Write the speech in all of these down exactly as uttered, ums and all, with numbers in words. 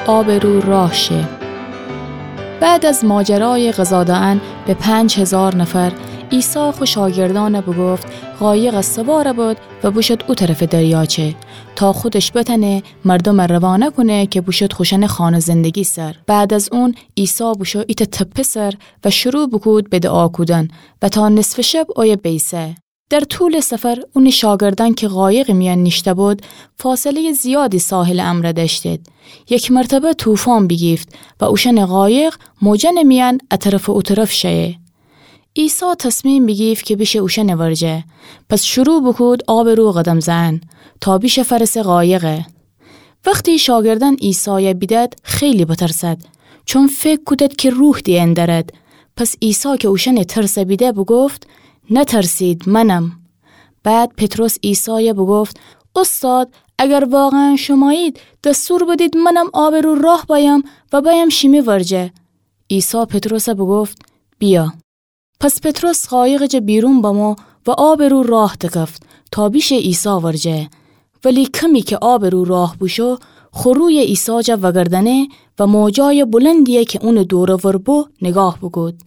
آبٚ رو راه شه. بعد از ماجرایٚ غذا دأن به پنج هیزار نفر، عیسی خو شاگردأن بوگفت قایقٚ سوار بد و بوشد او طرفٚ دریاچه، تا خودش بتأنه مردوم روانه کونه که بوشد خوشأنٚ خانه زندگی سر. بعد از اون، عیسی بوشو ایتأ تپه سر و شروع بوکود به دعا کودن و تا نصفٚ شب اویه بیسه. در طولٚ سفر، اونٚ شاگردأن که قایقٚ میأن نیشته بد، فاصله‌یٚ زیادی ساحلٚ امرأ دأشتید. یک مرتبه طوفان بیگیفت و اوشأنٚ قایق موجأنٚ میأن ا طرف و او طرف شأیه. عیسی تصمیم بیگیفت که بیشه اوشأنٚ ورجه. پس شروع بوکود آبٚ رو قدم زئن، تا بیشه فرسه قایقه. وختی شاگردأن عیسای بیدد، خیلی بترسد، چون فکر کودد که روح دیأن دأرد. پس عیسی که اوشأنٚ ترس بیده، بوگفت: «نترسید، منم.» بعد پطرس عیسای بوگفت: «اوستاد، اگر واقعاً شمایید، دستور بدید منم آبٚ رو راه بأیم و بأیم شیمی ورجه.» عیسی پطرس بوگفت: «بیا.» پس پطرس قایقٚ جا بیرون بمو و آبٚ رو راه دکفت تا بیشه عیسی ورجه. ولی کمی که آبٚ رو راه بوشو، خو روی عیسی جا وگردأنه و موجای بلندیی که اونٚ دور و ور بو نگاه بوکود.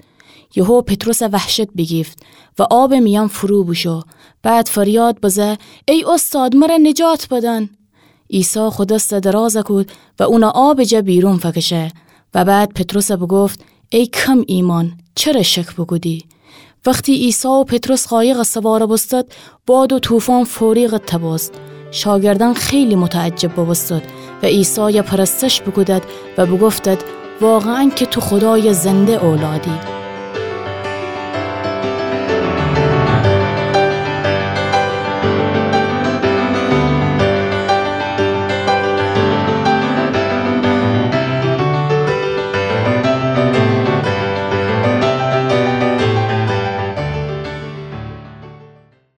یهو پطرس وحشت بیگیفت و آبٚ میأن فرو بوشو. بعد فریاد بزه: «ای اوستاد، مر نجات بدن!» عیسی خو دس دراز کود و اون آبٚ جا بیرون فکشه و بعد پطرس بوگفت: «ای کم ایمأن، چره شک بوکودی؟» وختی عیسی و پطرس قایقٚ سوار بوستد، باد و طوفان فوری قطع بوست. شاگردأن خیلی متعجب بوبوستد و عیسای پرستش بوکودد و بوگفتد: «واقعاً که تو خودایٚ زنده اولادی.»